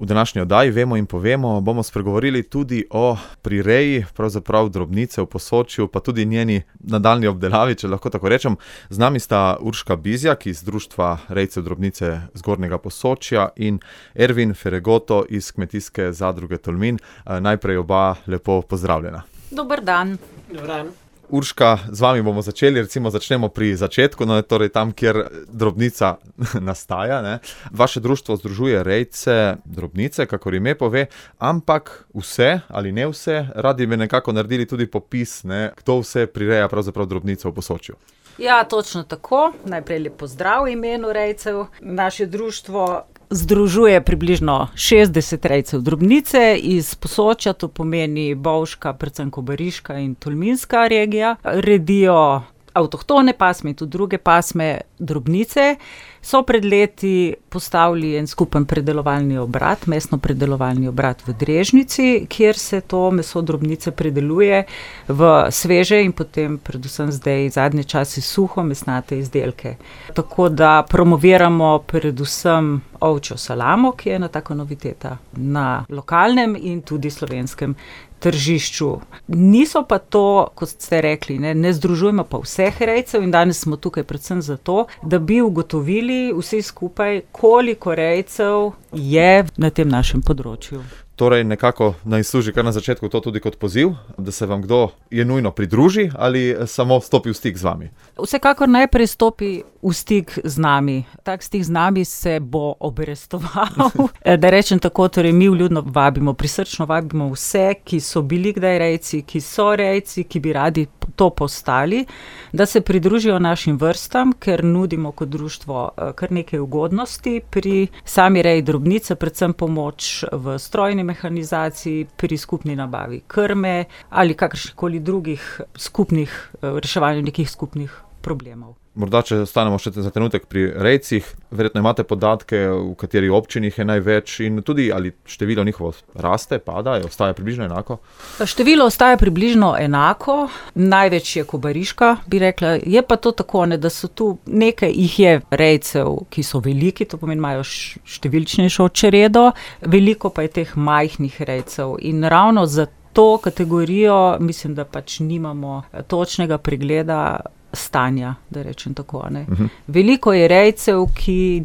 V današnji oddaji Vemo in povemo bomo spregovorili tudi o prireji, pravzaprav drobnice v Posočju, pa tudi njeni nadaljnji obdelavi, če lahko tako rečem. Z nami sta Urška Bizjak iz Društva rejcev drobnice Zgornjega Posočja in Ervin Feregoto iz Kmetijske zadruge Tolmin. Najprej oba lepo pozdravljena. Dober dan. Dober dan. Urška, z vami bomo začeli, začnemo pri začetku, torej tam, kjer drobnica nastaja, ne. Vaše društvo združuje rejce drobnice, kakor ime pove, ampak vse ali ne vse, radi bi nekako naredili tudi popis, ne, kdo vse prireja pravzaprav drobnice v Posočju. Ja, točno tako. Najprej lep pozdrav v imenu rejcev. Naše društvo združuje približno 60 rejcev drobnice iz Posočja, to pomeni Bovška, predvsem Kobariška in Tolminska regija. Redijo avtohtone pasme in tudi druge pasme drobnice. So pred leti postavili en skupen predelovalni obrat, mesno predelovalni obrat v Drežnici, kjer se to meso drobnice predeluje v sveže in potem predvsem zdaj zadnje čase suho mesnate izdelke. Tako da promoviramo predvsem ovčjo salamo, ki je ena taka noviteta na lokalnem in tudi slovenskem tržišču. Niso pa to, kot ste rekli, ne združujemo pa vseh rejcev in danes smo tukaj predvsem zato, da bi ugotovili vsi skupaj, koliko rejcev je na tem našem področju. Torej nekako naj služi kar na začetku to tudi kot poziv, da se vam kdo je nujno pridruži ali samo stopi v stik z vami? Vsekakor najprej stopi v stik z nami. Tak stik z nami se bo obrestoval. Da rečem tako, torej mi vljudno vabimo, prisrčno vabimo vse, ki so bili kdaj rejci, ki so rejci, ki bi radi to postali, da se pridružijo našim vrstam, ker nudimo kot društvo kar nekaj ugodnosti pri sami reji drobnice, predvsem pomoč v strojni mehanizaciji, pri skupni nabavi krme ali kakršnihkoli drugih skupnih, reševanju nekih skupnih problemov. Morda, če ostanemo še za trenutek pri rejcih, verjetno imate podatke, v kateri občini jih je največ in tudi ali število njihovo raste, pada, ostaja približno enako? Število ostaja približno enako, največ je Kobariška, bi rekla, je pa to tako, da so tu nekaj jih je rejcev, ki so veliki, to pomeni, imajo številčnejšo čredo, veliko pa je teh majhnih rejcev in ravno za to kategorijo mislim, da pač nimamo točnega pregleda stanja, da rečem tako, ne. Veliko je rejcev, ki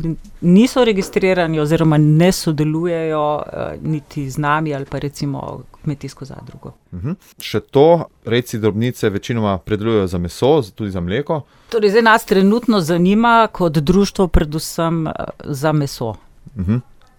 niso registrirani oziroma ne sodelujejo niti z nami ali pa recimo kmetijsko zadrugo. Še to, rejci drobnice večinoma predelujejo za meso, tudi za mleko? Torej, zdaj nas trenutno zanima kot društvo predvsem za meso.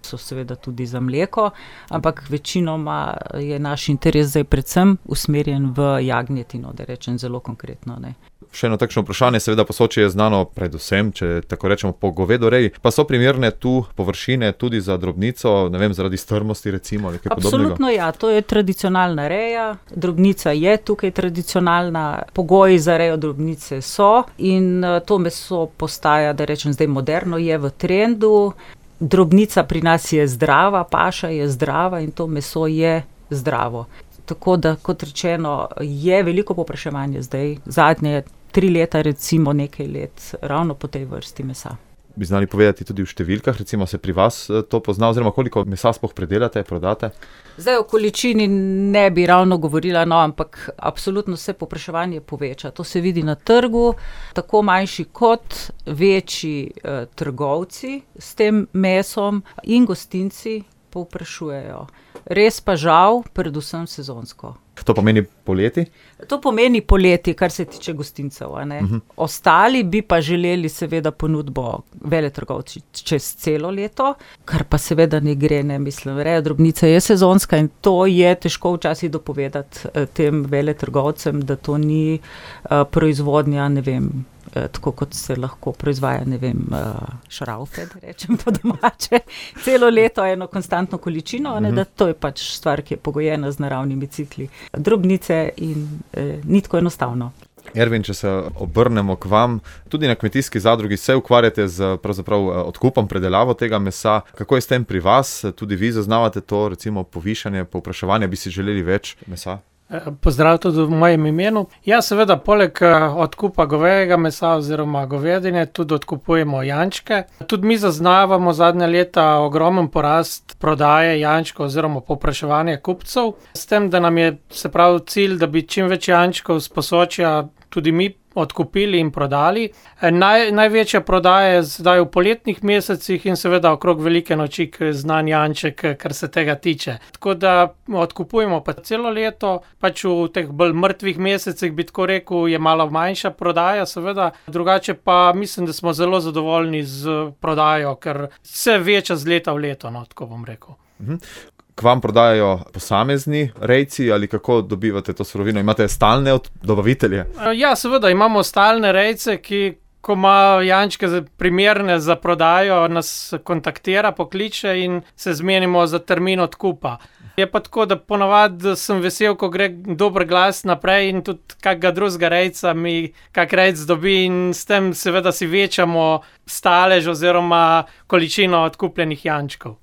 So seveda tudi za mleko, ampak večinoma je naš interes zdaj predvsem usmerjen v jagnjetino, da rečem zelo konkretno, ne. Še eno takšno vprašanje, seveda Posočje je znano predvsem, če tako rečemo, po govedoreji, pa so primerne tu površine tudi za drobnico, ne vem, zaradi strmosti recimo ali kaj podobnega? Absolutno ja, to je tradicionalna reja, drobnica je tukaj tradicionalna, pogoji za rejo drobnice so in to meso postaja, da rečem zdaj moderno, je v trendu. Drobnica pri nas je zdrava, paša je zdrava in to meso je zdravo. Tako da, kot rečeno, je veliko povpraševanje zdaj, zadnje 3 leta, recimo nekaj let, ravno po tej vrsti mesa. Bi znali povedati tudi v številkah, recimo se pri vas to pozna, oziroma koliko mesa sploh predelate, prodate? Zdaj o količini ne bi ravno govorila, ampak absolutno se povpraševanje poveča. To se vidi na trgu, tako manjši kot večji trgovci s tem mesom in gostinci povprašujejo. Res pa žal, predvsem sezonsko. To pomeni poleti? To pomeni poleti, kar se tiče gostincev, a ne. Ostali bi pa želeli seveda ponudbo veletrgovci čez celo leto, kar pa seveda ne gre, ne, mislim, reja drobnice je sezonska in to je težko včasih dopovedati tem veletrgovcem, da to ni proizvodnja, ne vem, tako kot se lahko proizvaja, ne vem, šraufe, da rečem po domače, celo leto eno konstantno količino, da to je pač stvar, ki je pogojena z naravnimi cikli drobnice in ni tako enostavno. Ervin, če se obrnemo k vam, tudi na Kmetijski zadrugi se ukvarjate z pravzaprav odkupom, predelavo tega mesa. Kako je s tem pri vas? Tudi vi zaznavate to, recimo povišanje povpraševanja, bi si želeli več mesa? Pozdrav tudi v mojem imenu. Ja, seveda, poleg odkupa govejega mesa oziroma govedine tudi odkupujemo jančke. Tudi mi zaznavamo zadnja leta ogromen porast prodaje jančkov oziroma povpraševanja kupcev. S tem, da nam je, se pravi, cilj, da bi čim več jančkov s Posočja tudi mi odkupili in prodali. Največja prodaja je zdaj v poletnih mesecih in seveda okrog velike noči, ke je znan janček, kar se tega tiče. Tako da odkupujemo pa celo leto, pač v teh bolj mrtvih mesecih, bi tako rekel, je malo manjša prodaja, seveda. Drugače pa mislim, da smo zelo zadovoljni z prodajo, ker se veča z leta v leto, no, tako bom rekel. K vam prodajajo posamezni rejci ali kako dobivate to surovino? Imate stalne dobavitelje? Ja, seveda, imamo stalne rejce, ki, ko imajo jančke primerne za prodajo, nas kontaktira, pokliče in se zmenimo za termin odkupa. Je pa tako, da ponavadi sem vesel, ko gre dober glas naprej in tudi kakega drugega rejca mi kak rejc dobi in s tem seveda si večamo stalež oziroma količino odkupljenih jančkov.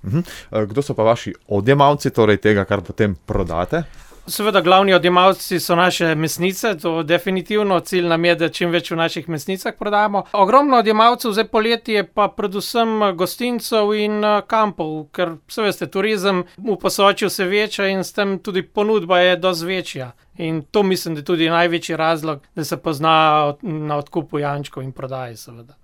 Kdo so pa vaši odjemalci, torej tega, kar potem prodate? Seveda, glavni odjemalci so naše mesnice, to definitivno, cilj nam je, da čim več v naših mesnicah prodamo. Ogromno odjemalcev zdaj poleti je pa predvsem gostincev in kampov, ker se veste, turizem v Posočju se veča in s tem tudi ponudba je dosti večja. In to mislim, da je tudi največji razlog, da se pozna na odkupu jančkov in prodaji, seveda.